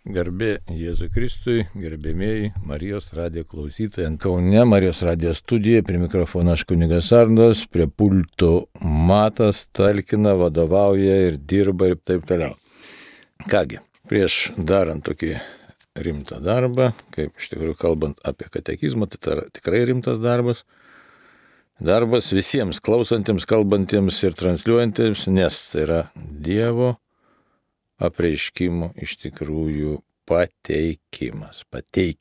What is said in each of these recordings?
Garbė Jėzui Kristui, gerbėmieji Marijos radijo klausytojai. Kaune Marijos radijo studija, prie mikrofono aš kunigas Arnas, prie pulto Matas talkina, vadovauja ir dirba ir taip toliau. Kągi, prieš darant tokį rimtą darbą, kaip iš tikrųjų kalbant apie katekizmą, tai yra tikrai rimtas darbas. Darbas visiems klausantiems, kalbantiems ir transliuojantiems, nes tai yra Dievo apreiškimo iš tikrųjų pateikiamas, tai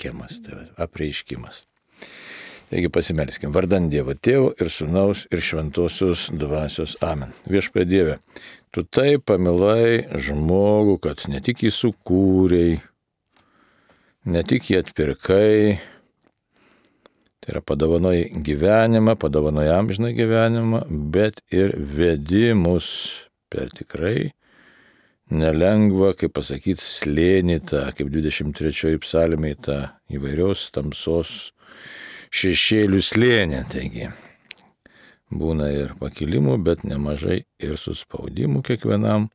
apreiškimas. Taigi pasimelskim, vardan Dievo Tėvo ir Sūnaus ir Šventosios Dvasios. Amen. Viešpatie Dieve, Tu taip pamilai žmogų, kad ne tik jį sukūrei, ne tik jį atpirkai, tai yra padovanojai gyvenimą, padovanojai amžiną gyvenimą, bet ir vedi mus per tikrai nelengva, kaip pasakyti, slėnį tą, kaip 23 psalmėj tą įvairios tamsos šešėlių slėnį. Taigi, būna ir pakilimų, bet nemažai ir suspaudimų kiekvienam.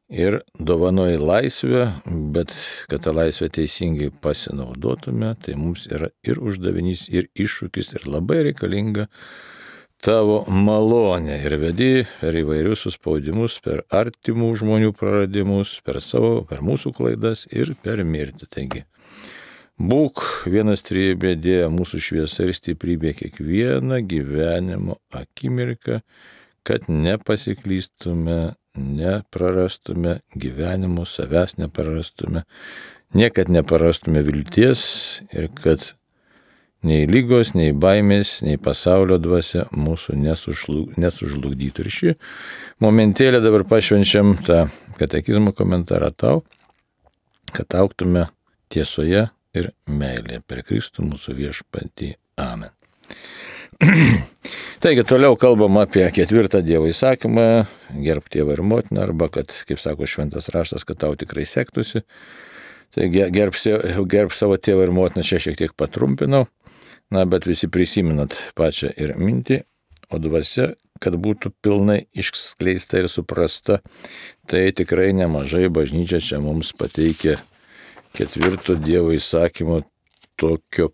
Ir dovanoji laisvę, bet kad tą laisvę teisingai pasinaudotume, tai mums yra ir uždavinys, ir iššūkis, ir labai reikalinga Tavo malonė ir vedi per įvairius suspaudimus, per artimų žmonių praradimus, per mūsų klaidas ir per mirtį. Taigi, būk vienas trejybė Dieve mūsų šviesa ir stiprybė kiekvieną gyvenimo akimirką, kad nepasiklystume, neprarastume gyvenimo, savęs neprarastume, niekad neprarastume vilties ir kad nei lygos, nei baimės, nei pasaulio dvasia mūsų nesužlugdytų. Ir šį momentėlį dabar pašvenčiam tą katekizmo komentarą tau, kad augtume tiesoje ir meilėje per Kristų mūsų viešpatį. Amen. Taigi toliau kalbam apie 4 Dievo įsakymą, gerb tėvą ir motiną, arba kad, kaip sako šventas raštas, kad tau tikrai sektųsi. Taigi gerb savo tėvą ir motiną, čia šiek tiek patrumpinau. Bet visi prisiminat pačią ir mintį, o dvasia, kad būtų pilnai išskleista ir suprasta, tai tikrai nemažai bažnyčia čia mums pateikia 4 Dievo įsakymo tokio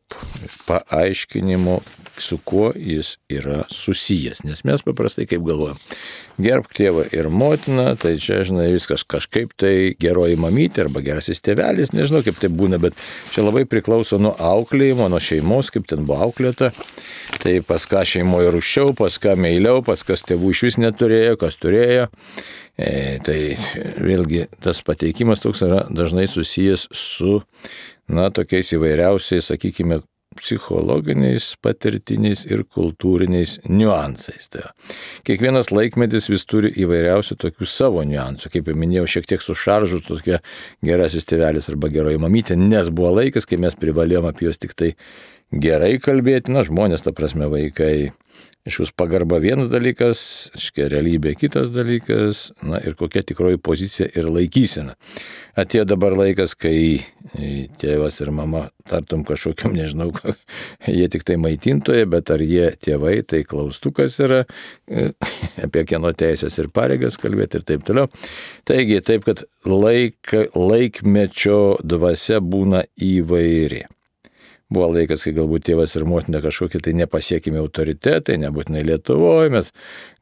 paaiškinimo, su kuo jis yra susijęs. Nes mes paprastai kaip galvojam, gerbk tėvą ir motiną, tai čia, žinai, viskas kažkaip tai geroji mamytė arba gerasis tėvelis, nežinau kaip tai būna, bet čia labai priklauso nuo auklėjimo, nuo šeimos, kaip ten buvo auklėta. Tai pas ką šeimoje rūščiau, pas ką meiliau, pas kas tėvų iš vis neturėjo, kas turėjo. Tai vėlgi tas pateikimas toks yra dažnai susijęs su tokiais įvairiausiais, sakykime, psichologiniais, patirtiniais ir kultūriniais niuansais. Tai kiekvienas laikmetis vis turi įvairiausių tokių savo niuansų. Kaip jau minėjau, šiek tiek su šaržu tokia gerasis tėvelis arba geroji mamytė, nes buvo laikas, kai mes privalėjom apie juos tik tai gerai kalbėti. Žmonės, ta prasme, vaikai. Iškus pagarba vienas dalykas, realybė kitas dalykas, ir kokia tikroji pozicija ir laikysena. Atėjo dabar laikas, kai tėvas ir mama tartum kažkokiam, nežinau, jie tik tai maitintoje, bet ar jie tėvai, tai klaustukas yra, apie kieno teisės ir pareigas kalbėti ir taip toliau. Taigi, taip, kad laikmečio dvasia būna įvairi. Buvo laikas, kai galbūt tėvas ir motina kažkokie tai nepasiekimi autoritetai, nebūtinai Lietuvoje, mes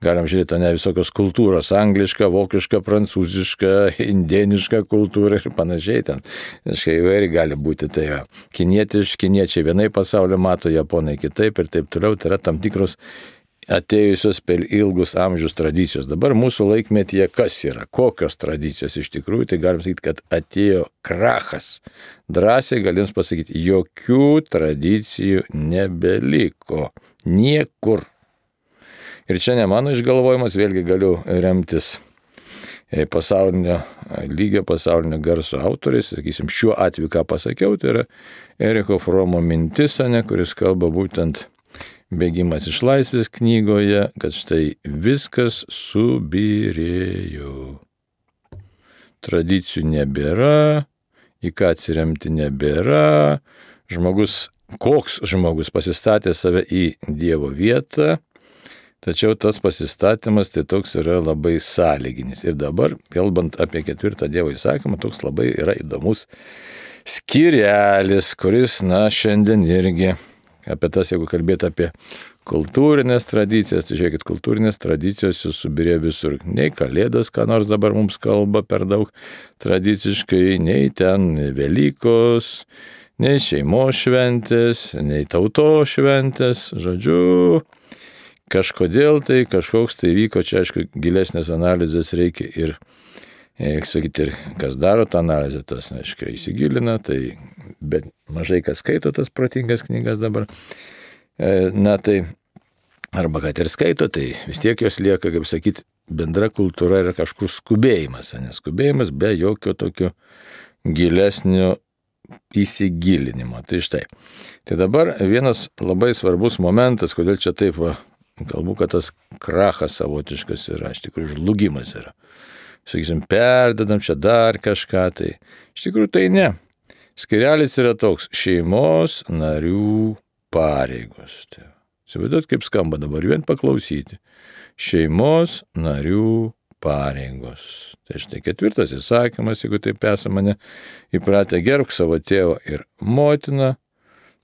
galim žiūrėti visokios kultūros, angliška, vokiška, prancūziška, indieniška kultūra ir panašiai ten. Įvairiai gali būti, tai kiniečiai vienai pasaulio mato, japonai kitaip ir taip toliau, tai yra tam tikros atėjusios per ilgus amžius tradicijos. Dabar mūsų laikmetyje kas yra, kokios tradicijos iš tikrųjų, tai galim sakyti, kad atėjo krachas. Drąsiai galim pasakyti, jokių tradicijų nebeliko. Niekur. Ir čia ne mano išgalvojimas, vėlgi galiu remtis pasaulinio lygio, pasaulinio garso autoriais. Sakysim, šiuo atveju, ką pasakiau, tai yra Eriko Fromo mintis, kuris kalba būtent Bėgimas iš laisvės knygoje, kad štai viskas subyrėjo. Tradicijų nebėra, į ką atsiremti nebėra. Koks žmogus pasistatė save į Dievo vietą, tačiau tas pasistatymas tai toks yra labai sąlyginis. Ir dabar, kalbant apie 4 Dievo įsakymą, toks labai yra įdomus skyrelis, kuris, šiandien irgi apie tas, jeigu kalbėti apie kultūrinės tradicijas, tai žiūrėkit, kultūrinės tradicijos jūs subirė visur. Nei Kalėdas, ką nors dabar mums kalba per daug tradiciškai, nei ten Velykos, nei šeimos šventės, nei tautos šventės, žodžiu, kažkodėl tai kažkoks tai vyko, čia aišku gilesnės analizės reikia ir sakyti, ir kas daro tą analizę, tas, aišku, įsigilina, tai bet mažai kas skaito tas protingas knygas dabar. Tai arba kad ir skaito, tai vis tiek jos lieka, kaip sakyti, bendra kultūra yra kažkur skubėjimas, neskubėjimas be jokio tokio gilesnio įsigilinimo. Tai štai. Tai dabar vienas labai svarbus momentas, kodėl čia taip, kalbu, kad tas krachas savotiškas yra, iš tikrųjų žlugimas yra. Sakysim, perdedam čia dar kažką, tai iš tikrųjų tai ne. Skyrelis yra toks: šeimos narių pareigos. Įsivaizduot, kaip skamba dabar, vien paklausyti. Šeimos narių pareigos. Tai štai 4 įsakymas, jeigu taip esame įpratę, gerbk savo tėvą ir motiną,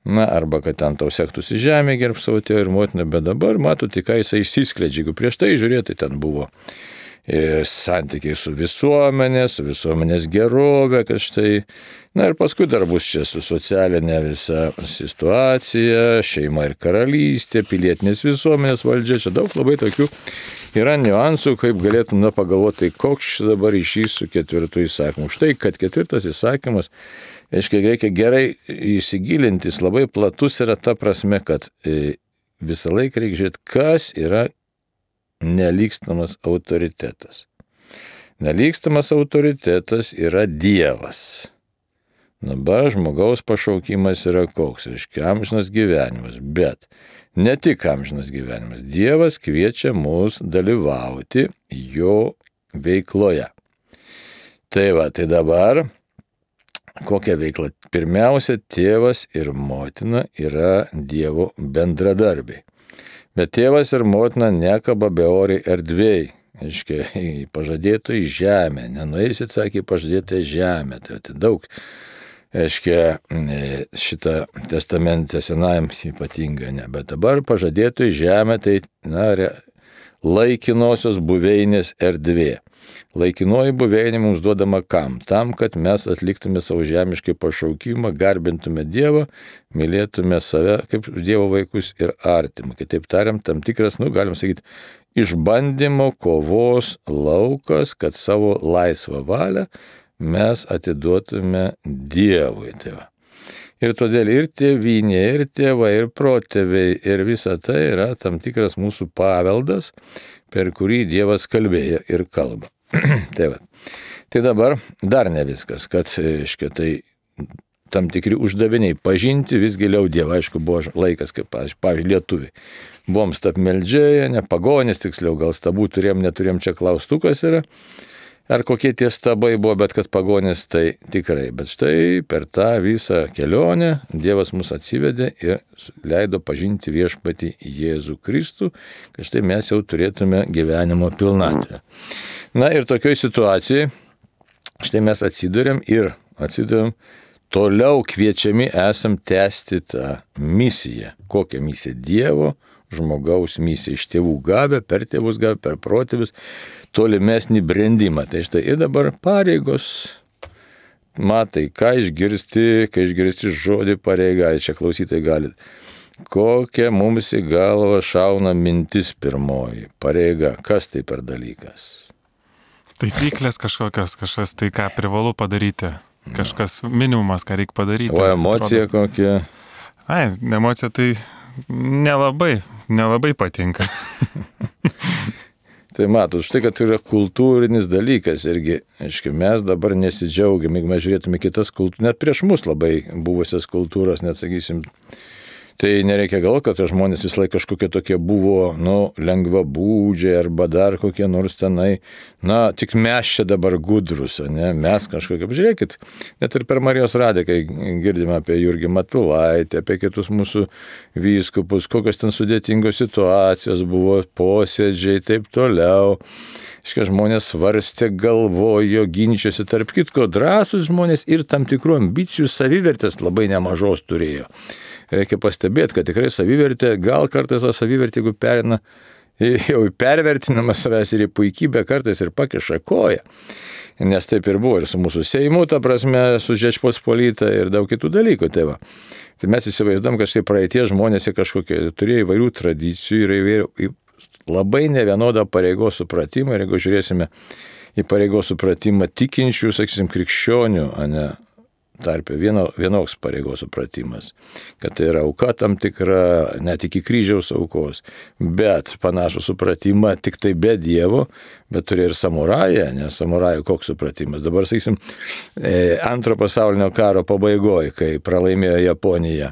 arba kad ten tau sektųsi žemė, gerbk savo tėvą ir motiną, bet dabar matote, ką jisai išsiskleidžia. Jeigu prieš tai žiūrėti, ten buvo santykiai su visuomenės gerovė, kad štai, ir paskui dar bus čia su socialinė visa situacija, šeima ir karalystė, pilietinės visuomenės valdžia, čia daug labai tokių yra niuansų, kaip galėtum pagalvoti, koks dabar ryšys su 4 įsakymu. Štai, kad 4 įsakymas, reikia gerai įsigilinti, jis labai platus yra ta prasme, kad visą laiką reikia žiūrėti, kas yra nelygstamas autoritetas. Nelygstamas autoritetas yra Dievas. Dabar žmogaus pašaukimas yra koks, reiškia amžinas gyvenimas, bet ne tik amžinas gyvenimas. Dievas kviečia mus dalyvauti jo veikloje. Tai dabar kokia veikla? Pirmiausia, tėvas ir motina yra Dievo bendradarbiai. Bet tėvas ir motina nekaba beoriai erdvėj, aiškiai, į pažadėtąją žemę. Nenueisit, sakė, į pažadėtąją žemę. Tai daug, aiškiai, šitą testamentę senajam ypatingai ne. Bet dabar pažadėtąją žemę tai, laikinosios buveinės erdvė. Laikinoji buveinė mums duodama kam? Tam, kad mes atliktume savo žemiškai pašaukimą, garbintume Dievą, mylėtume save kaip Dievo vaikus ir artimą. Kitaip tariant, tam tikras, galim sakyti, išbandymo kovos laukas, kad savo laisvą valią mes atiduotume Dievui. Ir todėl ir tėvynė, ir tėvai, ir protėviai, ir visa tai yra tam tikras mūsų paveldas, per kurį Dievas kalbėjo ir kalba. Tai dabar dar ne viskas, kad, tai tam tikri uždaviniai pažinti vis giliau Dievą. Aišku, buvo laikas, kaip, pavyzdžiui, lietuviai. Buvom stabmeldžiai, ne pagonys, tiksliau, gal stabų neturėjom, čia klaustukas yra. Ar kokie tie stabai buvo, bet kad pagonys tai tikrai. Bet štai per tą visą kelionę Dievas mus atsivedė ir leido pažinti viešpatį Jėzų Kristų, kad štai mes jau turėtume gyvenimo pilnatvę. Ir tokioj situacijai štai mes atsiduriam toliau kviečiami esam tęsti tą misiją. Kokią misiją? Dievo žmogaus misiją, iš tėvų gavę, per tėvus gavę, per protėvius, tolimesnį brendimą. Tai štai ir dabar pareigos, matai, kai išgirsti žodį pareiga, čia klausytai galit. Kokia mums į galvą šauna mintis pirmoji? Pareiga, kas tai per dalykas? Taisyklės kažkokios, kažkas tai, ką privalu padaryti. Kažkas minimumas, ką reikia padaryti. O emocija kokia? Emocija tai nelabai patinka. Tai matot, štai, kad tai yra kultūrinis dalykas irgi, aiškiai, mes dabar nesidžiaugiam, jeigu mes žiūrėtume kitas kultūras, net prieš mus labai buvusias kultūras, net sakysim, Tai nereikia galvoti, kad žmonės vis laik kažkokie tokie buvo, lengvabūdžiai arba dar kokie nors tenai. Tik mes čia dabar gudrus, ne? Mes kažkokie. Žiūrėkit, net ir per Marijos radiją, kai girdime apie Jurgį Matulaitį, apie kitus mūsų vyskupus, kokios ten sudėtingos situacijos buvo, posėdžiai, taip toliau. Žmonės svarstė, galvojo, ginčiosi, tarp kitko, drąsūs žmonės ir tam tikrų ambicijų, savivertės labai nemažos turėjo. Reikia pastebėti, kad tikrai savivertė, gal kartais tą savivertę, jeigu perina jau pervertinama savęs ir į puikybę, kartais ir pakiša koją. Nes taip ir buvo ir su mūsų Seimu, ta prasme, su Žečpospolita ir daug kitų dalykų. Tai mes įsivaizduom, kad štai praeitie žmonės kažkokie turėjo įvairių tradicijų ir įvairių labai nevienodą pareigos supratimą. Ir jeigu žiūrėsime į pareigos supratimą tikinčių, sakysim, krikščionių, tarpe vienoks pareigos supratimas, kad tai yra auka tam tikra, net iki kryžiaus aukos, bet panašų supratimą tik tai be Dievo, bet turėjo ir samurają, nes samurajų koks supratimas. Dabar, sakysim, Antro pasaulinio karo pabaigoje, kai pralaimėjo Japonija,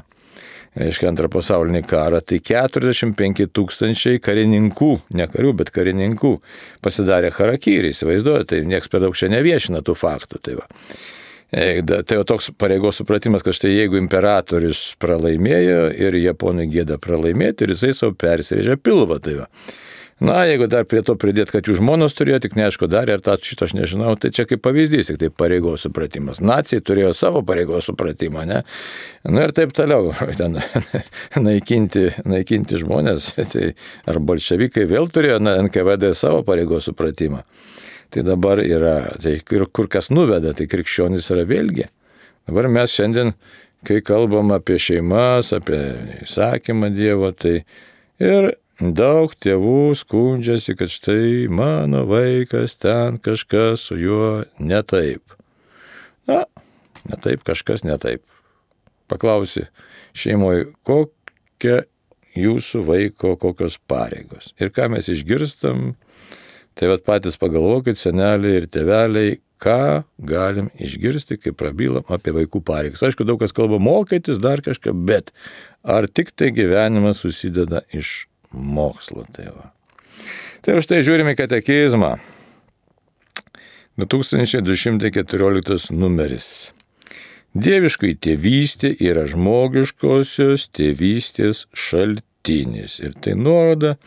reiškia Antrą pasaulinį karą, tai 45 000 karininkų, ne karių, bet karininkų pasidarė harakiri, įsivaizduoja, tai nieks per daug čia neviešina tų faktų. Tai jau toks pareigos supratimas, kad štai jeigu imperatorius pralaimėjo ir japonai gėda pralaimėti, ir jisai savo persirėžė pilvą. Jeigu dar prie to pridėti, kad jų žmonos turėjo, tik neaišku darė, ar šito aš nežinau, tai čia kaip pavyzdys, tik tai pareigos supratimas. Naciai turėjo savo pareigos supratimą, ne? Ir taip toliau, ten naikinti žmonės, tai ar bolševikai vėl turėjo NKVD savo pareigos supratimą. Tai dabar yra, tai kur kas nuveda, tai krikščionys yra vėlgi. Dabar mes šiandien, kai kalbam apie šeimas, apie įsakymą Dievo, tai ir daug tėvų skundžiasi, kad štai mano vaikas ten kažkas su juo ne taip. Ne taip, kažkas ne taip. Paklausi šeimoje, kokia jūsų vaiko kokios pareigos. Ir ką mes išgirstam, tai patys pagalvokit, seneliai ir tėveliai, ką galim išgirsti, kai prabylam apie vaikų pareigas. Aišku, daug kas kalba mokytis, dar kažką, bet ar tik tai gyvenimas susideda iš mokslo. Tai už tai žiūrime katekizmą. 2214 numeris. Dieviškai tėvystė yra žmogiškosios tėvystės šaltinis. Ir tai nuoroda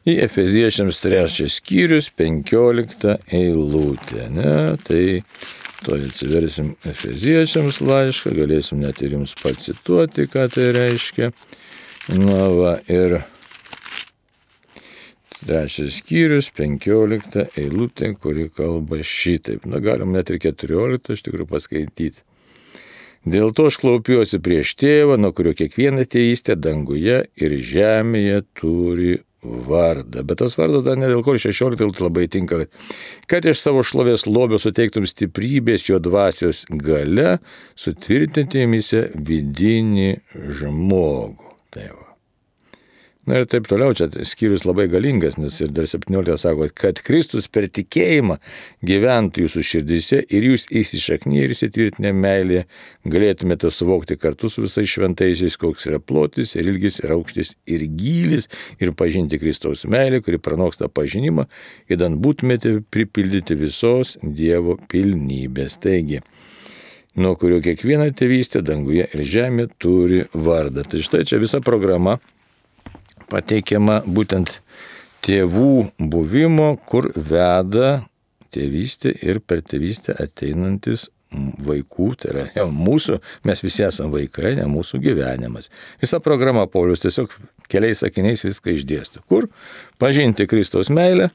į Efeziečiams 3 skyrius 15 eilutę. Tai to atsiversim Efeziečiams laišką, galėsim net ir jums pacituoti, ką tai reiškia. Ir 3 skyrius 15 eilutė, kuri kalba šitaip. Galim net ir 14 iš tikrųjų paskaityti. Dėl to aš klaupiuosi prieš tėvą, nuo kurio kiekviena tėvystė danguje ir žemėje turi vardą. Bet tas vardas dar ne dėl ko 16 labai tinka, kad iš savo šlovės lobio suteiktum stiprybės jo dvasios gale, sutvirtinti jumyse vidinį žmogų. Ir taip toliau, čia skyrius labai galingas, nes ir dar 17 sako, kad Kristus per tikėjimą gyventų jūsų širdyse ir jūs įsišaknyje ir įsitvirtinę meilėje galėtumėte suvokti kartu su visais šventaisiais, koks yra plotis ir ilgis ir aukštis ir gylis ir pažinti Kristaus meilę, kuri pranoksta pažinimą, idant būtumėte pripildyti visos Dievo pilnybės. Taigi, nuo kurio kiekviena tėvystė danguje ir žemė turi vardą. Tai štai čia visa programa pateikiama būtent tėvų buvimo, kur veda tėvystė ir per tėvystę ateinantis vaikų, tai yra jau mūsų, mes visi esame vaikai, ne mūsų gyvenimas. Visa programa Paulius tiesiog keliais sakiniais viską išdėsto. Kur? Pažinti Kristaus meilę,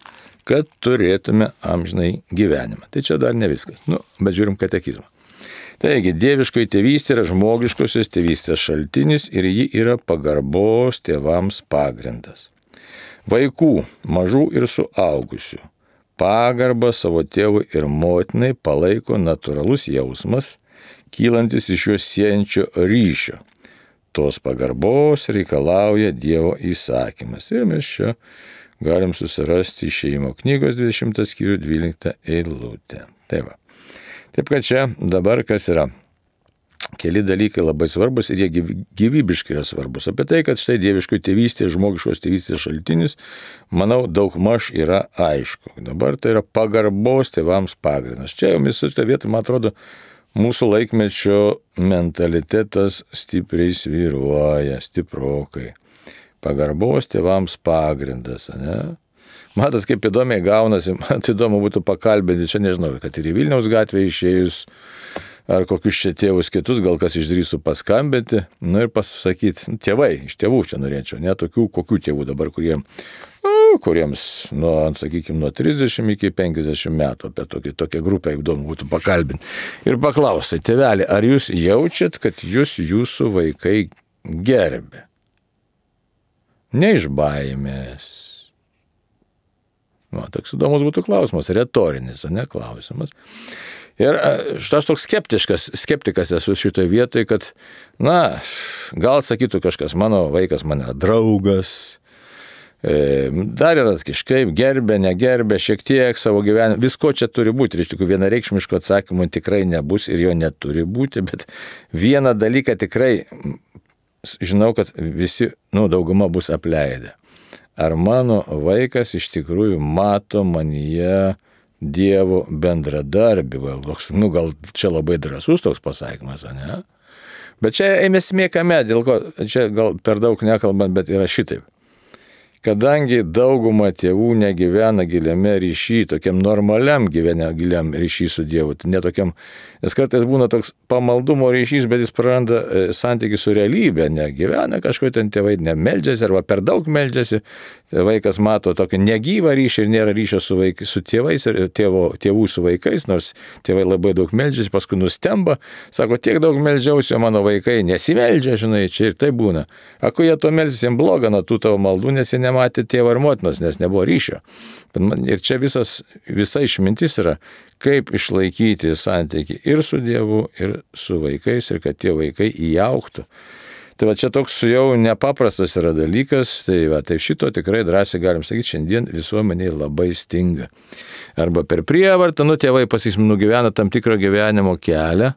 kad turėtume amžinai gyvenimą. Tai čia dar ne viskas. Bet žiūrim katekizmą. Taigi, dieviškoji tėvystė yra žmogiškosios tėvystės šaltinis ir ji yra pagarbos tėvams pagrindas. Vaikų, mažų ir suaugusių, pagarbą savo tėvui ir motinai palaiko natūralus jausmas, kylantis iš juos siejančio ryšio. Tos pagarbos reikalauja Dievo įsakymas. Ir mes čia galim susirasti Išėjimo knygos 20 skyrių 12 eilutę. Taip kad čia dabar kas yra? keli dalykai labai svarbus ir jie gyvybiškai yra svarbus. Apie tai, kad štai dieviškoji tėvystė, žmogiškos tėvystės šaltinis, manau, daugmaž yra aišku. Dabar tai yra pagarbos tėvams pagrindas. Čia jau visų šitą vietą, man atrodo, mūsų laikmečio mentalitetas stipriai svyruoja, stiprokai. Pagarbos tėvams pagrindas, ne? Matot, kaip įdomiai gaunasi, man įdomu būtų pakalbėti, čia nežinau, kad ir į Vilniaus gatvę išėjus, ar kokius čia tėvus kitus, gal kas išdrįsų paskambinti, nu ir pasakyti, tėvai, iš tėvų čia norėčiau, ne tokių, kokių tėvų dabar, kuriems, sakykime, nuo 30 iki 50 metų, apie tokią grupę įdomu būtų pakalbinti. Ir paklausai, tėveli, ar jūs jaučiat, kad jūsų vaikai gerbė? Ne iš baimės. Toks įdomus būtų klausimas, retorinis, ne klausimas. Ir aš toks skeptikas esu šitoje vietoje, kad, gal sakytų kažkas, mano vaikas man yra draugas, dar yra kažkaip gerbė, negerbė, šiek tiek savo gyvenimą, visko čia turi būti, ir iš tikrųjų vienareikšmiško atsakymų tikrai nebus ir jo neturi būti, bet vieną dalyką tikrai žinau, kad visi, dauguma bus apleidę. Ar mano vaikas iš tikrųjų mato manyje Dievo bendradarbį? Gal čia labai drąsus toks pasakymas, ne? Bet čia esmė kame, dėl ko, čia gal per daug nekalbant, bet yra šitaip. Kadangi dauguma tėvų negyvena giliame ryšy, tokiam normaliam giliam ryšy su Dievu, netokiam, nes kartais būna toks pamaldumo ryšys, bet jis praranda santykį su realybė, negyvena kažkokie ten tėvai, nemeldžiasi arba per daug meldžiasi, vaikas mato tokį negyvą ryšį ir nėra ryšio su tėvais ir tėvų su vaikais, nors tėvai labai daug meldžiasi, paskui nustemba, sako, tiek daug meldžiausi, o mano vaikai nesimeldžia, žinai, čia ir tai būna. Ako jie to meldžiasi, jiems bloga nuo tų tavo maldų, nes jie nematė tėvo ir motinos, nes nebuvo ryšio. Ir čia visa išmintis yra, kaip išlaikyti santykį ir su Dievu, ir su vaikais, ir kad tie vaikai įaugtų. Tai čia toks jau nepaprastas yra dalykas, tai šito tikrai drąsiai galim sakyti, šiandien visuomeniai labai stinga. Arba per prievartą, tėvai nugyvena tam tikrą gyvenimo kelią,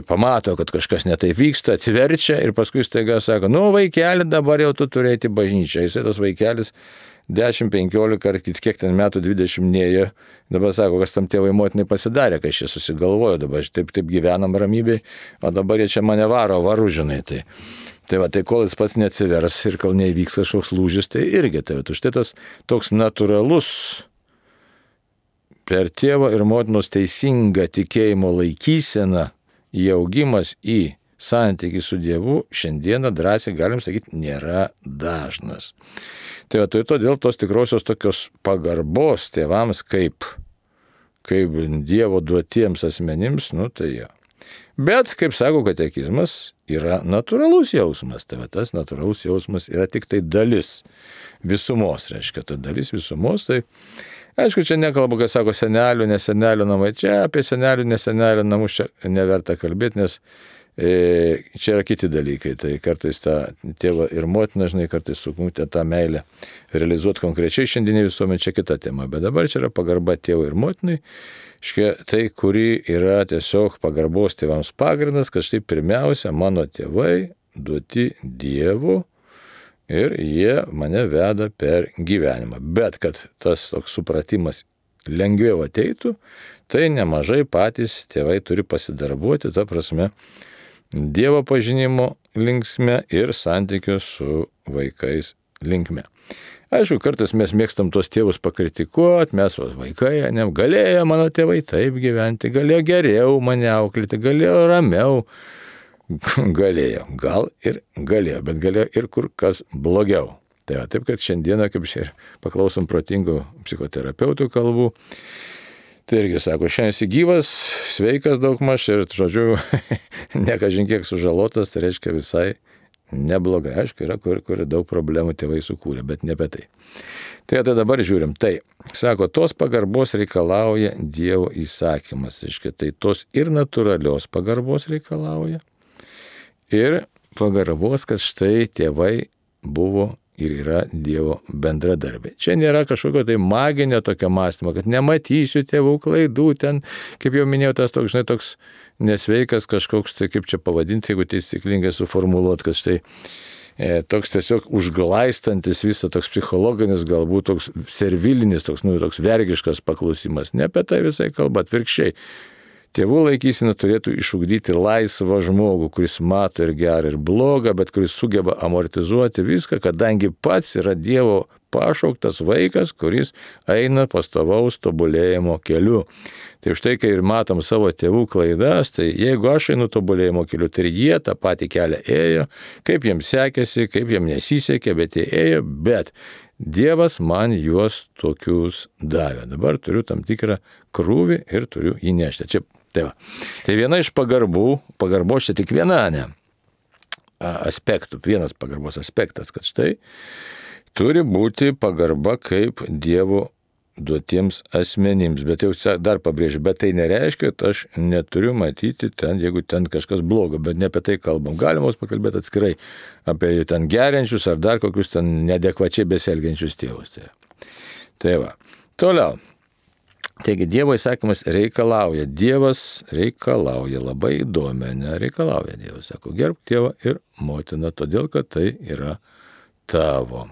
pamato, kad kažkas netaip vyksta, atsiverčia ir paskui staiga sako, vaikeli, dabar jau tu turėti bažnyčią. Jisai tas vaikelis 10, 15 ar kiek ten metų 20 nėjo, dabar sako, kas tam tėvai motinai pasidarė, kai aš čia susigalvoju, dabar taip gyvenam ramybėj, o dabar jie čia mane varu, žinai. Tai kol jis pats neatsivers ir kol neįvyks kažkoks lūžis, tai irgi štai tas toks natūralus per tėvo ir motinos teisingą tikėjimo laikyseną įaugimas į santykį su Dievu šiandieną drąsiai, galim sakyti, nėra dažnas. Tai todėl tos tikrosios tokios pagarbos tėvams kaip Dievo duotiems asmenims, tai jo. Bet, kaip sako katekizmas, yra natūralus jausmas. Tai tas natūralus jausmas yra tik tai dalis visumos, reiškia, ta dalis visumos, tai aišku, čia nekalbu, kai sako senelių, nesenelių namai. Čia apie senelių, nesenelių namus čia neverta kalbėti, nes čia yra kiti dalykai. Tai kartais tą tėvą ir motiną, žinai, kartais sukumti tą meilę realizuoti konkrečiai šiandienį visuomenį, čia kita tema. Bet dabar čia yra pagarba tėvui ir motinai. Tai, kuri yra tiesiog pagarbos tėvams pagrindas, kad štai pirmiausia mano tėvai duoti Dievu, ir jie mane veda per gyvenimą. Bet kad tas toks supratimas lengviau ateitų, tai nemažai patys tėvai turi pasidarbuoti, ta prasme, Dievo pažinimo linksme ir santykio su vaikais linkme. Aišku, kartais mes mėgstam tos tėvus pakritikuoti, mes vaikai, galėjo mano tėvai taip gyventi, galėjo geriau mane auklėti, galėjo ramiau. Galėjo, gal ir galėjo, bet galėjo ir kur kas blogiau. Taip, kad šiandieną, kaip ir paklausom protingų psichoterapeutų kalbų, tai irgi sako, šiandien esi gyvas, sveikas daugmaž ir, žodžiu, nekažin kiek sužalotas, tai reiškia visai neblogai. Aišku, yra kur daug problemų tėvai sukūrė, bet ne apie tai. Tai dabar žiūrim. Tai, sako, tos pagarbos reikalauja Dievo įsakymas. Reiškia, tai tos ir natūralios pagarbos reikalauja. Ir pagarbos, kad štai tėvai buvo ir yra Dievo bendradarbiai. Čia nėra kažkokio tai maginio tokio mąstymo, kad nematysiu tėvų klaidų, ten, kaip jau minėjau, tas toks nesveikas kažkoks, tai kaip čia pavadinti, jeigu taisyklingai suformuluot, kad štai toks tiesiog užglaistantis visą toks psichologinis, galbūt toks servilinis, toks vergiškas paklausimas. Ne apie tai visai kalba, atvirkščiai. Tėvų laikysena turėtų išugdyti laisvą žmogų, kuris mato ir gerą, ir blogą, bet kuris sugeba amortizuoti viską, kadangi pats yra Dievo pašauktas vaikas, kuris eina pastovaus tobulėjimo keliu. Tai už tai, kai ir matom savo tėvų klaidas, tai jeigu aš einu tobulėjimo keliu, tai ir jie tą patį kelią ėjo, kaip jiems sekėsi, kaip jiems nesisekė, bet jie ėjo, bet Dievas man juos tokius davė. Dabar turiu tam tikrą krūvį ir turiu jį nešti. Čia, tai viena iš pagarbos čia tik viena, aspektų, vienas pagarbos aspektas, kad štai turi būti pagarba kaip Dievo duotiems asmenims. Bet jau dar pabrėžiu, bet tai nereiškia, kad aš neturiu matyti ten, jeigu ten kažkas blogo, bet ne apie tai kalbam. Galima pakalbėti atskirai apie ten geriančius ar dar kokius ten neadekvačiai besielgiančius tėvus. Tai va. Toliau. Taigi Dievo įsakymas reikalauja. Dievas reikalauja labai įdomiai, nereikalauja Dievas. Sako, gerbk tėvą ir motiną, todėl kad tai yra tavo.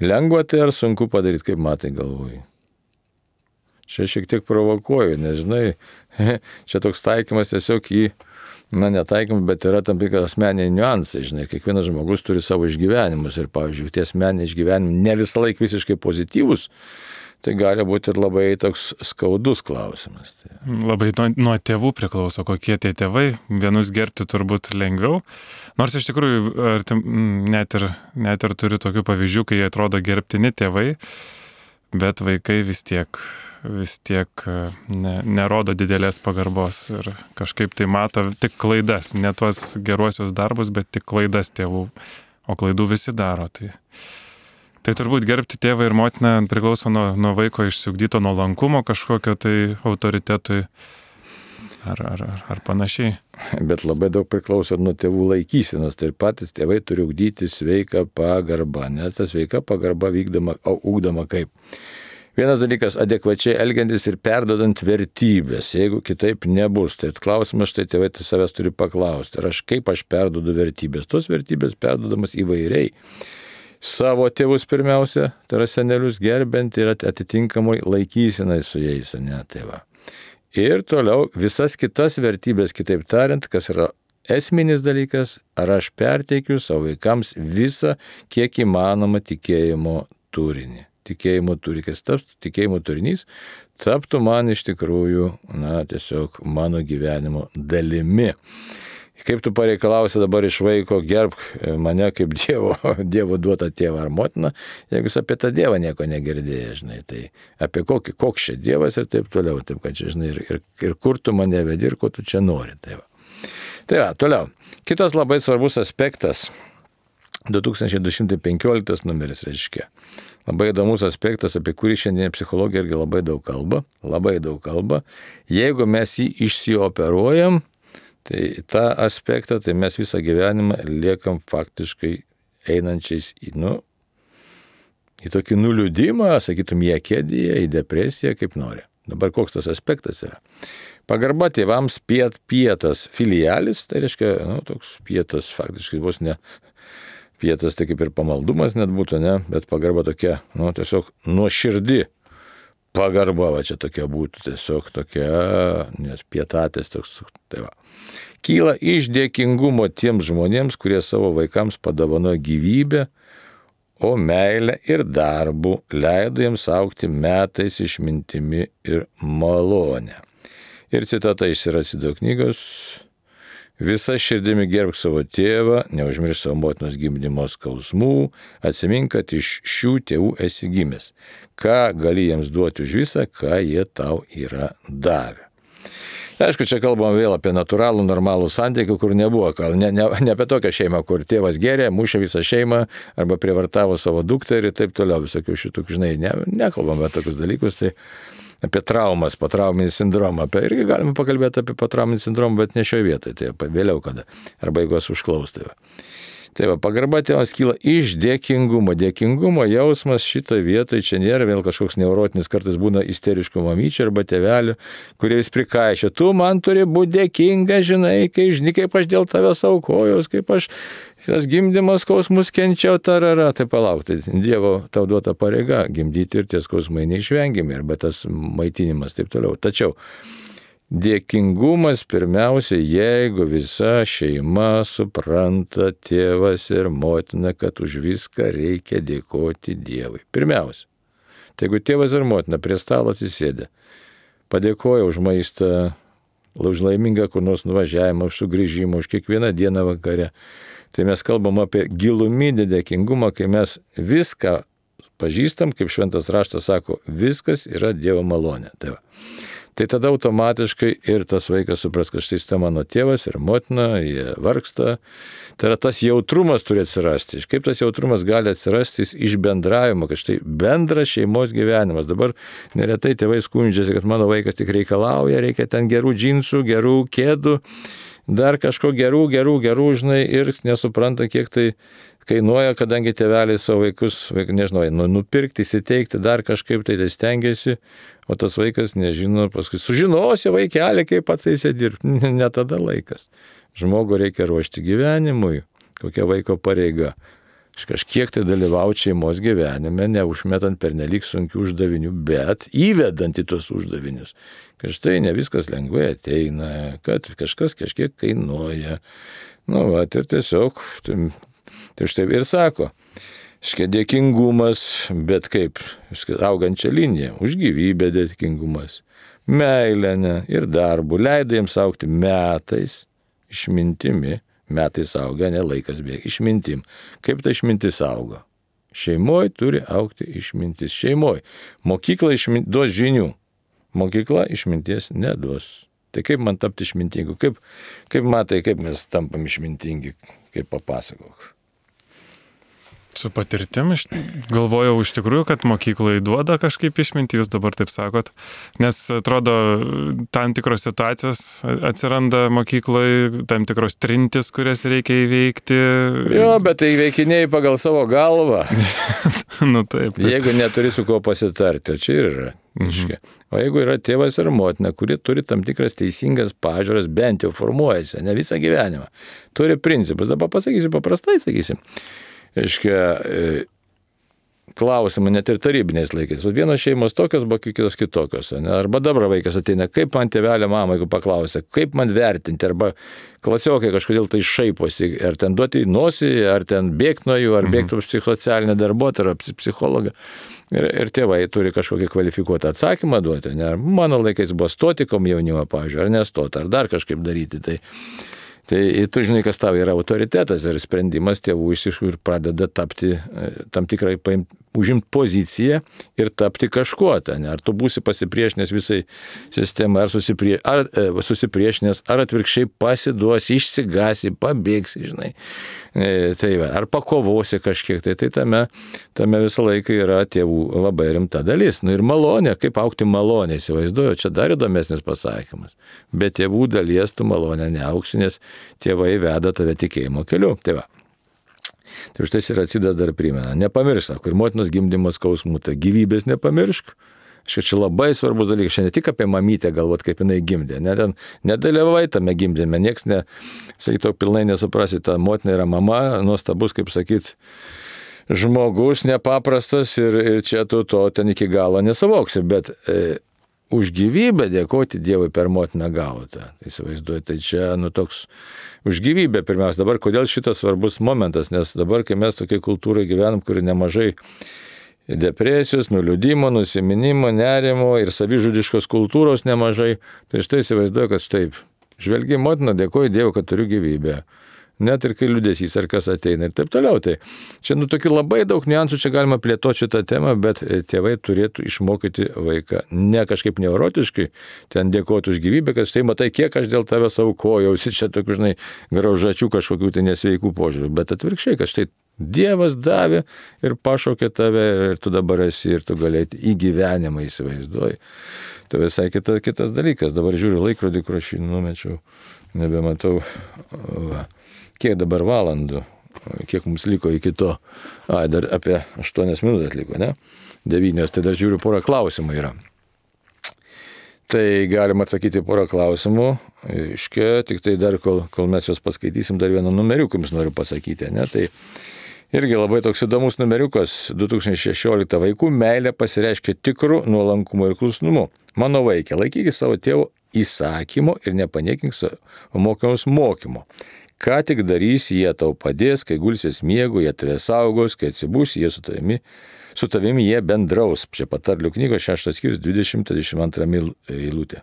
Lengva tai ar sunku padaryti, kaip matai galvoji? Čia šiek tiek provokuoju, nes žinai, čia toks taikymas tiesiog į, netaikymas, bet yra tam tikras asmeniniai niuansai, žinai, kiekvienas žmogus turi savo išgyvenimus ir, pavyzdžiui, tie asmeniniai išgyvenimai ne visą laiką visiškai pozityvus, tai gali būti ir labai toks skaudus klausimas. Labai nuo tėvų priklauso, kokie tie tėvai. Vienus gerbti turbūt lengviau. Nors iš tikrųjų net ir turiu tokių pavyzdžių, kai jie atrodo gerbtini tėvai, bet vaikai vis tiek nerodo didelės pagarbos ir kažkaip tai mato tik klaidas, ne tuos geruosius darbus, bet tik klaidas tėvų, o klaidų visi daro. Tai turbūt gerbti tėvą ir motiną priklauso nuo vaiko išsiugdyto nuolankumo kažkokio tai autoritetui ar panašiai. Bet labai daug priklauso nuo tėvų laikysenos. Tai ir patys tėvai turi ugdyti sveiką pagarbą, nes ta sveika pagarba ugdoma kaip. Vienas dalykas - adekvačiai elgiantis ir perdodant vertybės. Jeigu kitaip nebus, tai klausimas štai tėvai savęs turi paklausti. Ir kaip aš perdodu vertybės? Tos vertybės perdodamas įvairiai. Savo tėvus pirmiausia, tai yra senelius gerbent ir atitinkamai laikysinai su jais, tai va. Ir toliau visas kitas vertybės, kitaip tariant, kas yra esminis dalykas, ar aš perteikiu savo vaikams visą, kiek įmanoma tikėjimo turinį. Tikėjimo turinys, tikėjimo turinys taptų man iš tikrųjų, tiesiog mano gyvenimo dalimi. Kaip tu pareikalausi dabar iš vaiko, gerbk mane kaip Dievo duotą tėvą ar motiną, jeigu jis apie tą Dievą nieko negirdėjai, žinai, tai apie koks čia Dievas ir taip toliau, taip kad čia, žinai, ir kur tu mane vedi ir ko tu čia nori. Tai va, toliau. Kitas labai svarbus aspektas, 2215 numeris reiškia. Labai įdomus aspektas, apie kurį šiandien psichologija irgi labai daug kalba. Jeigu mes jį išsioperuojam, tai tą aspektą, tai mes visą gyvenimą liekam faktiškai einančiais į tokį nuliūdimą, sakytum, į akėdiją, į depresiją, kaip nori. Dabar koks tas aspektas yra? Pagarba tėvams pietas filialis, tai reiškia, toks pietas faktiškai vos ne pietas, tai kaip ir pamaldumas net būtų, bet pagarba tokia, tiesiog nuoširdi. Pagarba, va čia tokia būtų, tiesiog tokia, nes pietatės toks, tai va. Kyla iš dėkingumo tiems žmonėms, kurie savo vaikams padovanojo gyvybę, o meilę ir darbų leido jiems augti metais išmintimi ir malonę. Ir citata iš Siracido knygos: visa širdimi gerbk savo tėvą, neužmiršk savo motinos gimdymo skausmų, atsimink, kad iš šių tėvų esi gimęs. Ką gali jiems duoti už visą, ką jie tau yra davę. Aišku, čia kalbam vėl apie natūralų, normalų santykį, kur nebuvo, ne apie tokią šeimą, kur tėvas gėrė, mušė visą šeimą arba prievartavo savo dukterį ir taip toliau, visokių šitų, žinai, nekalbam apie tokius dalykus, tai apie traumas, potrauminį sindromą, irgi galime pakalbėti apie potrauminį sindromą, bet ne šioje vietoje, tai vėliau kada, arba jeigu esu užklaustai. Tai va, pagarba tėvams kyla iš dėkingumo. Dėkingumo jausmas šitą vietą, čia nėra vėl kažkoks neurotinis, kartais būna isteriškų mamyčių arba tėvelių, kurie vis prikaišia. Tu man turi būti dėkinga, žinai, kaip aš dėl tavęs aukojaus, kaip aš tas gimdymas skausmus kenčiau, tarara. Tai palauk, tai Dievo tau duota pareiga gimdyti ir tie skausmai neišvengiami, arba tas maitinimas taip toliau. Tačiau dėkingumas pirmiausia, jeigu visa šeima supranta, tėvas ir motina, kad už viską reikia dėkoti Dievui. Pirmiausia, tai jeigu tėvas ir motina prie stalo atsisėdė, padėkoja už maistą, už laimingą kur nors nuvažiavimą, už sugrįžimą, už kiekvieną dieną vakare, tai mes kalbam apie giluminį dėkingumą, kai mes viską pažįstam, kaip šventas raštas sako, viskas yra Dievo malonė. Tai tada automatiškai ir tas vaikas supras, kad štai tai mano tėvas ir motina, jie vargsta. Tai yra tas jautrumas turi atsirasti. Kaip tas jautrumas gali atsirasti iš bendravimo, kad štai bendras šeimos gyvenimas. Dabar neretai tėvai skundžiasi, kad mano vaikas tik reikalauja, reikia ten gerų džinsų, gerų kėdų, dar kažko gerų, žinai, ir nesupranta, kiek tai kainuoja, kadangi tėveliai savo vaikus, nežinau, nupirkti, įsiteikti, dar kažkaip tai stengiasi, o tas vaikas nežino, paskui sužinosi vaikelį, kaip pats įsidirbti. Ne tada laikas. Žmogų reikia ruošti gyvenimui, kokia vaiko pareiga. Kažkiek tai dalyvauti šeimos gyvenime, neužmetant pernelyg sunkių uždavinių, bet įvedant į tuos uždavinius. Kad štai ne viskas lengvai ateina, kad kažkas kažkiek kainuoja. Ir tiesiog, tai štai ir sako, dėkingumas, bet kaip, augančią liniją, už gyvybę dėkingumas, meilę ir darbų, leido jiems augti metais, išmintimi, metais auga, ne laikas bėga, išmintim. Kaip ta išmintis auga? Šeimoje turi augti išmintis. Šeimoje. Mokykla duos žinių, mokykla išminties neduos. Tai kaip man tapti išmintingu? Kaip matai, kaip mes tampam išmintingi, kaip papasakok. Su patirtim, galvojau iš tikrųjų, kad mokyklai duoda kažkaip išmintį, jūs dabar taip sakot, nes atrodo, tam tikros situacijos atsiranda mokyklai, tam tikros trintis, kurias reikia įveikti. Jo, bet tai įveikinėjai pagal savo galvą. Taip. Jeigu neturi su kuo pasitarti, čia ir yra. O jeigu yra tėvas ir motina, kurie turi tam tikras teisingas pažiūras, bent jau formuojasi, ne visą gyvenimą, turi principus, dabar pasakysiu paprastai, sakysim. Klausimą net ir tarybiniais laikais. Vienos šeimos tokios, buvo kitos kitokios. Arba dabar vaikas ateina, kaip man tėvelė mama, jeigu paklausia, kaip man vertinti, arba klasiokai kažkodėl tai šaiposi, ar ten duoti nosį, ar ten bėgti nuo jų, ar bėgti psichosocialinę darbuotoją, ar psichologą. Ir tėvai turi kažkokį kvalifikuotą atsakymą duoti. Mano laikais buvo stoti komjaunimą, pavyzdžiui, ar nestoti, ar dar kažkaip daryti. Tai tu žinai, kas tau yra autoritetas ir sprendimas tėvų iš tikrųjų pradeda tapti tam tikrai užimti poziciją ir tapti kažkuo. Ar tu būsi pasipriešinęs visai sistemai, ar susipriešinęs, ar atvirkščiai pasiduosi, išsigasi, pabėgsi, žinai. Ar pakovosi kažkiek, tai tame visą laiką yra tėvų labai rimta dalis. Ir malonė, kaip augti malonė, įsivaizduoju, čia dar įdomesnis pasakymas. Bet tėvų dalies tu malonė neauksi, nes tėvai veda tave tikėjimo keliu. Tai už tai Siracidas dar primena, nepamiršk, kur motinos gimdymas skausmų, tai gyvybės nepamiršk. Čia labai svarbus dalykas, šiandien ne tik apie mamytę galvot, kaip jinai gimdė, nedalyvavai tame gimdyme, nieks sakytų, pilnai nesuprasi, ta motina yra mama, nuostabus, kaip sakyt, žmogus, nepaprastas ir čia tu to ten iki galo nesavoksi, bet už gyvybę dėkoti Dievui per motiną gautą. Tai įsivaizduoju, tai čia toks už gyvybę pirmiausia. Dabar kodėl šitas svarbus momentas, nes dabar, kai mes tokiai kultūrai gyvenam, kuri nemažai depresijos, nuliūdimo, nusiminimo, nerimo ir savižudiškos kultūros nemažai, tai štai įsivaizduoju, kad štai žvelgi motiną, dėkoju Dievui, kad turiu gyvybę. Net ir kai liūdesys ar kas ateina ir taip toliau. Tai čia tokių labai daug niuansų, čia galima plėtoti šitą temą, bet tėvai turėtų išmokyti vaiką ne kažkaip neurotiškai, ten dėkoti už gyvybę, kad štai matai, kiek aš dėl tavęs aukojausi, čia tokių, žinai, graužačių kažkokių tai nesveikų požiūrių, bet atvirkščiai, kad štai Dievas davė ir pašaukė tave ir tu dabar esi ir tu galėti į gyvenimą įsivaizduoji. Tai visai kitas dalykas. Dabar žiūriu laikrodį, kur aš jį numečiau, nebematau. Kiek dabar valandų? kiek mums liko iki to. Dar apie 8 minutės liko, ne? 9, tai dar žiūriu, porą klausimų yra. Tai galima atsakyti porą klausimų. Iškia, tik tai dar, kol mes juos paskaitysim, dar vieną numeriuką jums noriu pasakyti, ne? Tai irgi labai toks įdomus numeriukas. 2016 vaikų meilė pasireiškia tikru nuolankumu ir klusnumu. Mano vaikė, laikykis savo tėvo įsakymo ir nepaniekink savo mokymus mokymo. Ką tik darys, jie tau padės, kai gulsies miegu, jie tave saugos, kai atsibūs, jie su tavimi jie bendraus. Čia patarlių knygos 6 skyrius 20-22 eilutė.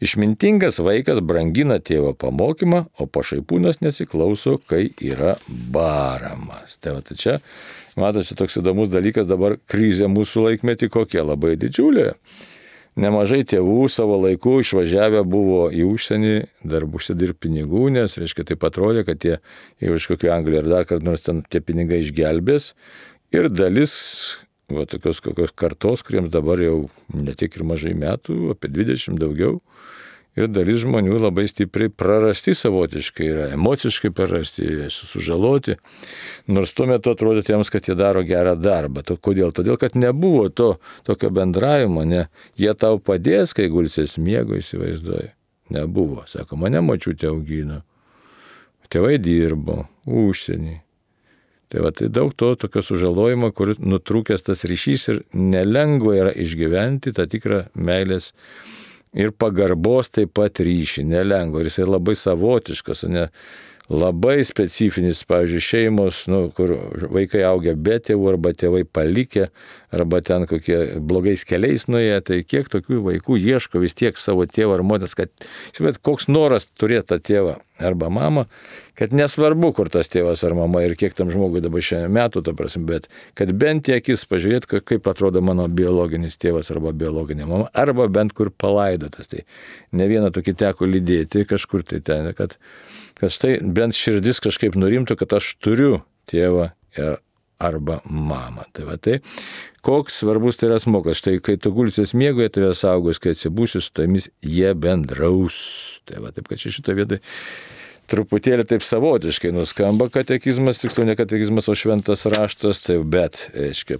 Išmintingas vaikas brangina tėvo pamokymą, o pašaipūnas nesiklauso, kai yra baramas. Tai čia, matosi, toks įdomus dalykas, dabar krizė mūsų laikmetį kokia labai didžiulė. Nemažai tėvų savo laiku išvažiavę buvo į užsienį, dar užsidirbti pinigų, nes, reiškia, taip atrodė, kad jie iš kokio Angliją ar dar kad nors ten tie pinigai išgelbės. Ir dalis tokios kokios kartos, kuriems dabar jau ne tiek ir mažai metų, apie 20 daugiau, ir dalis žmonių labai stipriai prarasti savotiškai yra, emociškai prarasti, sužaloti, nors tuo metu atrodė jiems, kad jie daro gerą darbą. Kodėl? Todėl, kad nebuvo tokio bendravimo, ne, jie tau padės, kai gulsies miego, įsivaizduoji. Nebuvo. Sako, mane močiutė augino, tėvai dirbo, užsienį. Tai daug tokio sužalojimo, kur nutrūkęs tas ryšys ir nelengva yra išgyventi tą tikrą meilės ir pagarbos taip pat ryšį, nelengva. Ir jisai labai savotiškas, ne, labai specifinis, pavyzdžiui, šeimos, kur vaikai augia be tėvų arba tėvai palikę, arba ten kokie blogais keliais nuėję, tai kiek tokių vaikų ieško vis tiek savo tėvą ar motinas, kad, žinot, koks noras turėti tą tėvą arba mamą, kad nesvarbu, kur tas tėvas ar mama ir kiek tam žmogui dabar šiandien metų, bet kad bent į akis pažiūrėt, kaip atrodo mano biologinis tėvas arba biologinė mama, arba bent kur palaidotas. Tai ne vieną tokį teko lydėti kažkur tai ten, kad štai bent širdis kažkaip nurimtų, kad aš turiu tėvą arba mamą. Tai koks svarbus tai yra smokas. Štai kai tu gulsies miego, jie tave saugos, kai atsibūsi, su tomis jie bendraus. Taip kad šitą vietą truputėlį taip savotiškai nuskamba katekizmas, tiksliau ne katekizmas, o šventas raštas, bet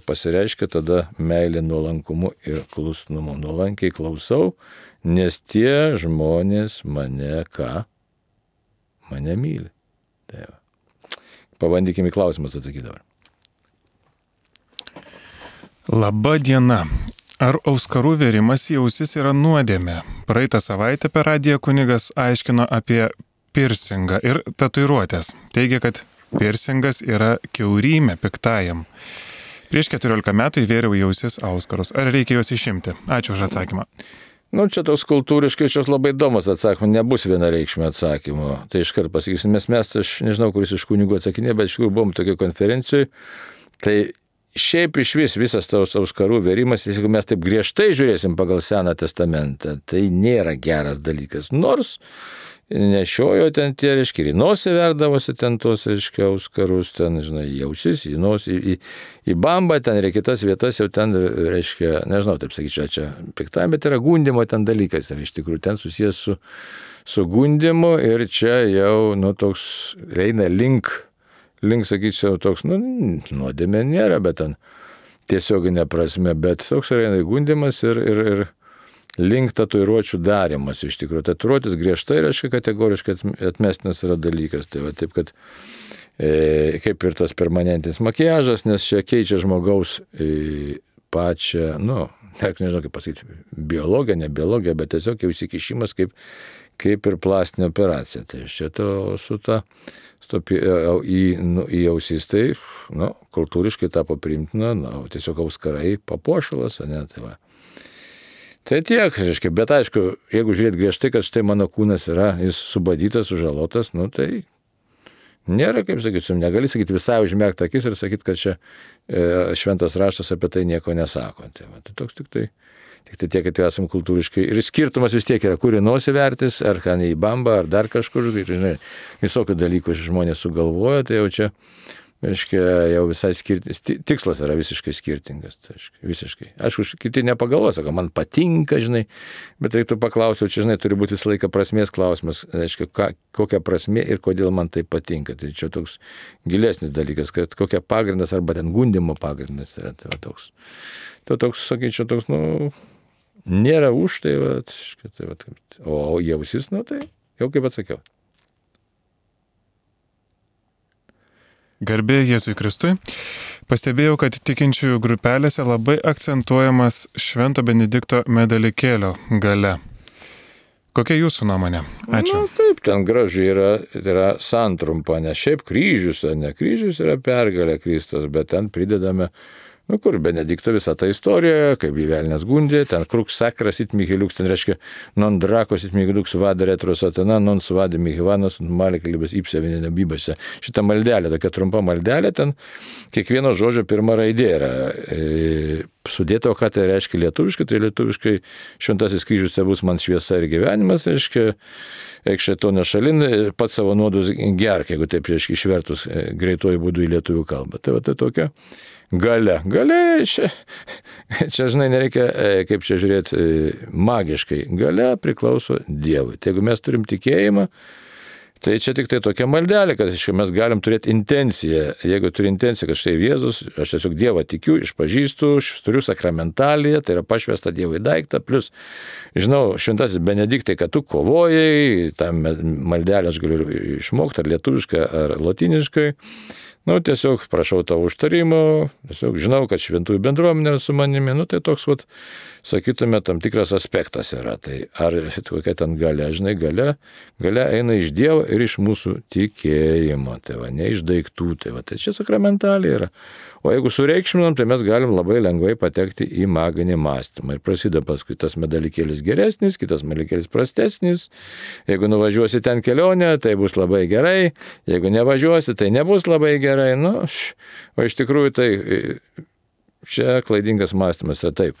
pasireiškia tada meilė nuolankumu ir klusnumu. Nuolankiai klausau, nes tie žmonės mane mane myli. Pabandykime į klausimus atsakyti dabar. Labą dieną. Ar auskarų vėrimas į ausis yra nuodėmė? Praeitą savaitę per radiją kunigas aiškino apie pirsingą ir tatuiruotės. Teigia, kad pirsingas yra kiaurymė piktajam. Prieš 14 metų įvėriau į ausis auskarus. Ar reikia juos išimti? Ačiū už atsakymą. Čia toks kultūriškai šios labai įdomus atsakymas, nebus vienareikšmio atsakymo. Tai iškart pasakysim, mes, aš nežinau, kuris iš kunigų atsakinė, bet iš tikrųjų buvom tokio konferencijoje. Tai šiaip iš visas tos auskarų vėrimas, jeigu mes taip griežtai žiūrėsim pagal Seną testamentą, tai nėra geras dalykas. Nors nešiojo ten tie, reiškia, į nosį verdavosi ten tos, reiškia, auskarus, ten, žinai, į ausis, į nosį, į bambą, ten ir kitas vietas jau ten, reiškia, nežinau, taip sakyčiau, čia piktai, bet yra gundimo ten dalykas, ir iš tikrųjų ten susijęs su gundimu ir čia jau, toks eina link, sakyčiau, toks, nuodėmė nėra, bet ten tiesioginė prasme, bet toks yra gundimas ir link tatuiruočių darymas iš tikrųjų. Tatuiruotis griežtai reiškia kategoriškai atmestinas yra dalykas. Tai taip, kad kaip ir tas permanentinis makiažas, nes čia keičia žmogaus pačią, nežinau kaip pasakyti, biologiją, ne biologiją, bet tiesiog jau įsikišimas kaip ir plastinė operacija. Tai šito į ausis tai, kultūriškai tapo priimtina, tiesiog auskarai papuošalas, tai va. Tai tiek, reiškia, bet aišku, jeigu žiūrėt griežtai, kad štai mano kūnas yra, jis subadytas, sužalotas, tai nėra, kaip sakytum, negali sakyti visai užmerkti akis ir sakyti, kad čia šventas raštas apie tai nieko nesako. Tai toks tik tai tiek, kad jau esam kultūriškai. Ir skirtumas vis tiek yra, kur į nosį vertis, ar į bambą, ar dar kažkur, žinai, visokių dalykų žmonės sugalvoja, tai jau čia reiškia, jau visai tikslas yra visiškai skirtingas. Tai, visiškai. Aišku, kiti nepagalvoja, sako, man patinka, žinai, bet reiktų paklausti, čia, žinai, turi būti visą laiką prasmės klausimas, reiškia, kokia prasmė ir kodėl man tai patinka. Tai čia toks gilesnis dalykas, kad kokia pagrindas arba ten gundimo pagrindas yra. Tai toks, sakyčiau, toks, nėra už tai, o jausis, tai jau kaip atsakiau. Garbė Jėzui Kristui. Pastebėjau, kad tikinčiųjų grupelėse labai akcentuojamas Švento Benedikto medalikėlio gale. Kokia jūsų nuomonė? Ačiū. Kaip ten gražiai yra santrumpa, ne šiaip kryžius, ne kryžius yra pergalė Kristus, bet ten pridedame, kur Benedikto visa ta istorija, kaip gyvelnės gundė, ten krux sakras it mihiliuks, ten reiškia, non drakos it mihiliuks vada retrosatana, non svada mihivanas, malikalibės ipsevinė bybose. Šitą maldelę, tokia trumpa maldelė, ten kiekvieno žodžio pirma raidė yra sudėta, o ką tai reiškia lietuviškai, tai lietuviškai šventasis kryžius bus man šviesa ir gyvenimas, reiškia, eik šėtonio šalin, pats savo nuodus gerk, jeigu taip reiškia išvertus greituoju būdu į lietuvių kalbą. Tai tai tokia galia. Galia, čia žinai, nereikia, kaip čia žiūrėti, magiškai. Galia priklauso Dievui. Tai jeigu mes turim tikėjimą, tai čia tik tai tokia maldelė, kad mes galim turėti intenciją. Jeigu turi intenciją, kad štai Jėzus, aš tiesiog Dievą tikiu, išpažįstu, turiu sakramentaliją, tai yra pašvęsta Dievui daiktą, plus, žinau, šventasis Benediktai, kad tu kovojai, tą maldelę aš galiu išmokti, ar lietuviškai, ar lotiniškai. Tiesiog prašau tavo užtarimo, tiesiog žinau, kad šventųjų bendruomenė yra su manimi, tai toks, sakytume, tam tikras aspektas yra. Tai ar kokia ten galia, žinai, galia eina iš Dievo ir iš mūsų tikėjimo, ne iš daiktų, tai čia sakramentaliai yra. O jeigu sureikšminam, tai mes galim labai lengvai patekti į maginį mąstymą. Ir prasideda paskui tas medalikėlis geresnis, kitas medalikėlis prastesnis. Jeigu nuvažiuosi ten kelionę, tai bus labai gerai. Jeigu nevažiuosi, tai nebus labai gerai. O iš tikrųjų tai čia klaidingas mąstymas yra taip.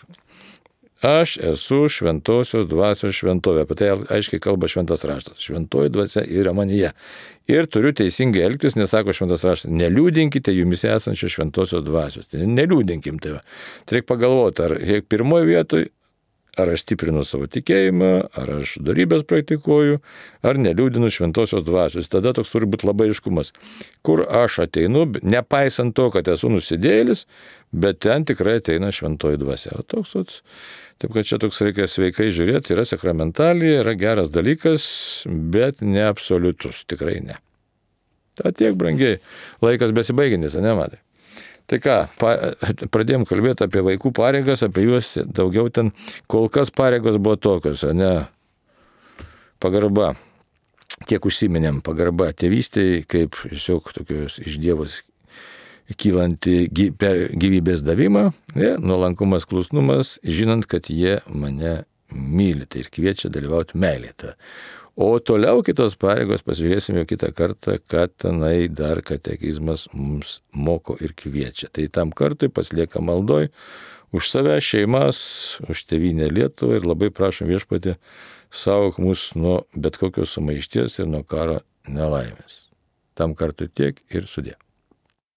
Aš esu šventosios dvasios šventovė. Apie tai aiškiai kalba šventas raštas. Šventoji dvasia yra manyje. Ir turiu teisingai elgtis, nes sako šventas raštas, neliūdinkite jumise esančios šventosios dvasios. Tai neliūdinkim tai. Tai reikia pagalvoti, ar pirmoje vietoje, ar aš stiprinu savo tikėjimą, ar aš darybės praktikuoju, ar neliūdinu šventosios dvasios. Tada toks turi būti labai aiškumas. Kur aš ateinu, nepaisant to, kad esu nusidėjėlis, bet ten tikrai ateina šventoji dvasia. Taip kad čia toks reikia sveikai žiūrėti, yra sakramentalija, yra geras dalykas, bet ne absoliutus, tikrai ne. Ta tiek brangiai, laikas besibaiginis, nematai. Tai ką, pradėjom kalbėti apie vaikų pareigas, apie juos daugiau ten, kol kas pareigos buvo tokios, pagarba, tiek užsiminėm, pagarba tėvystėje, kaip tiesiog tokios iš Dievos kylanti gyvybės davimą, nuolankumas, klusnumas, žinant, kad jie mane myli, tai ir kviečia dalyvauti meilėje. O toliau kitos pareigos pasižiūrėsime jau kitą kartą, kad tenai dar katekizmas mums moko ir kviečia. Tai tam kartui pasilieka maldoj už save, šeimas, už tėvynę Lietuvą ir labai prašom Viešpatį saugok mus nuo bet kokios sumaišties ir nuo karo nelaimės. Tam kartui tiek ir sudie.